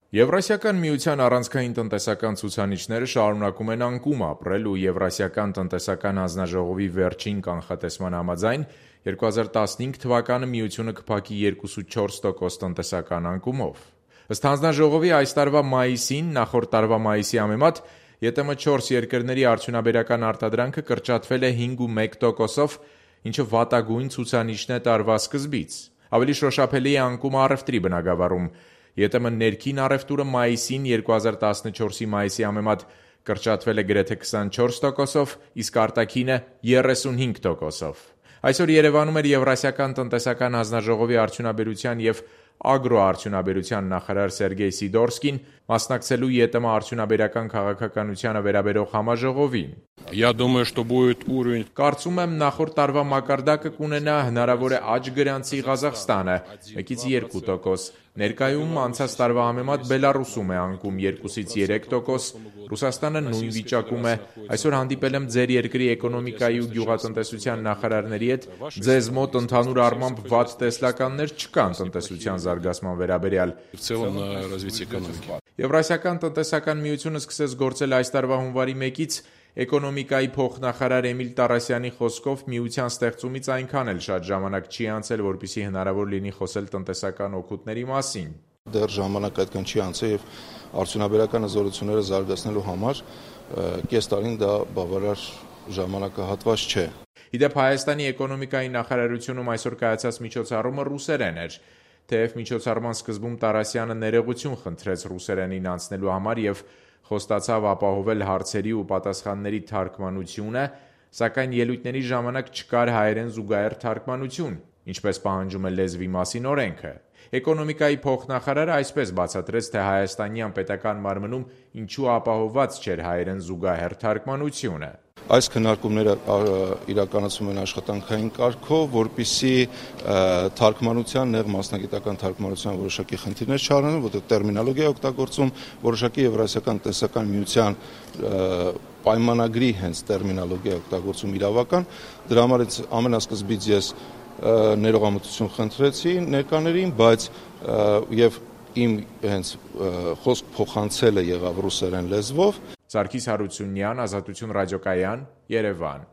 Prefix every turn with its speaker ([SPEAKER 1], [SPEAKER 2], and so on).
[SPEAKER 1] Եվրասիական միության առանցքային տնտեսական ցուցանիշները շարունակում են անկում ապրել ու Եվրասիական տնտեսական հանձնաժողովի վերջին կանխատեսման համաձայն 2015 թվականը միությունը կփակի 2,4% տնտեսական անկումով։ Ըստ հանձնաժողովի այս տարվա մայիսին նախորդ տարվա մայիսի համեմատ ԵՏՄ 4 երկրների արդյունաբերական արտադրանքը կրճատվել է 5,1%-ով, ինչը վատագույն ցուցանիշն է տարվա սկզբից։ Ավելի շոշափելի է անկումը առևտրի բնագավառում։ ԵՏՄ ներքին առևտուրը մայիսին 2014-ի մայիսի համեմատ կրճատվել է գրեթե 24%-ով, իսկ արտաքինը 35%-ով։ Այսօր Երևանում էր Եվրասիական տնտեսական հանձնաժողովի արդյունաբերության և ագրոարդյունաբերության նախարար Սերգեյ Սիդորսկին մասնակցելու ԵՏՄ արդյունաբերական քաղաքականությանը վերաբերող համաժողովին։ Կարծում եմ նախորդ տարվա մակարդակը կունենա հնարավոր է աճ գրանցի Ղազախստանը 1-2%, ներկայում անցած տարվա համեմատ Բելառուսում է անկում 2-3%, Ռուսաստանը նույն վիճակում է։ Այսօր հանդիպել եմ ձեր երկրի էկոնոմիկայի ու գյուղատնտեսության նախարարների հետ, ձեզ մոտ ընդհանուր առմամբ վատ տեսլականներ չկան տնտեսության զարգացման վերաբերյալ։ Եվրասիական տնտեսական միությունը սկսեց գործել այս տարվա հունվարի 1-ից, էկոնոմիկայի փոխնախարար Էմիլ Տարասյանի խոսքով միության ստեղծումից այնքան էլ շատ ժամանակ չի անցել, որպեսզի հնարավոր լինի խոսել տնտեսական օգուտների մասին։
[SPEAKER 2] Դեռ ժամանակ այդքան չի անցել եւ արդյունաբերական հզորությունները զարգացնելու համար կես տարին դա բավարար ժամանակահատված չէ։
[SPEAKER 1] Իդեպ Հայաստանի էկոնոմիկայի նախարարությունում այսօր կայացած միջոցառումը ռուսերեն էր։ Թեև միջոցառման սկզբում Տարասյանը ներողություն խնդրեց ռուսերենին անցնելու համար եւ խոստացավ ապահովել հարցերի ու պատասխանների թարգմանությունը, սակայն ելույթների ժամանակ չկար հայերեն զուգահեռ թարգմանություն, ինչպես պահանջում է լեզվի մասին օրենքը։ Էկոնոմիկայի փոխնախարարը այսպես բացատրեց, թե հայաստանյան պետական մարմնում ինչու ապահովված չէր հայերեն զուգահեռ թարգմանությունը։
[SPEAKER 2] Այս քննարկումները իրականացում են աշխատանքային կարգով, որպեսզի թարգմանության նեղ մասնագիտական թարգմանության որոշակի խնդիրներ չառնեն, որտեղ տերմինոլոգիա է օգտագործում, որոշակի Եվրասիական տնտեսական միության պայմանագրի հենց տերմինոլոգիա օգտագործում իրավական։ Դրա համար ամենասկզբից ես ներողամտություն խնդրեցի ներկաներին, բայց եւ իմ հենց խոսք փոխանցելը եղավ ռուսերեն լեզվով։
[SPEAKER 1] Սարգիս Հարությունյան, Ազատություն ռադիոկայան, Երևան։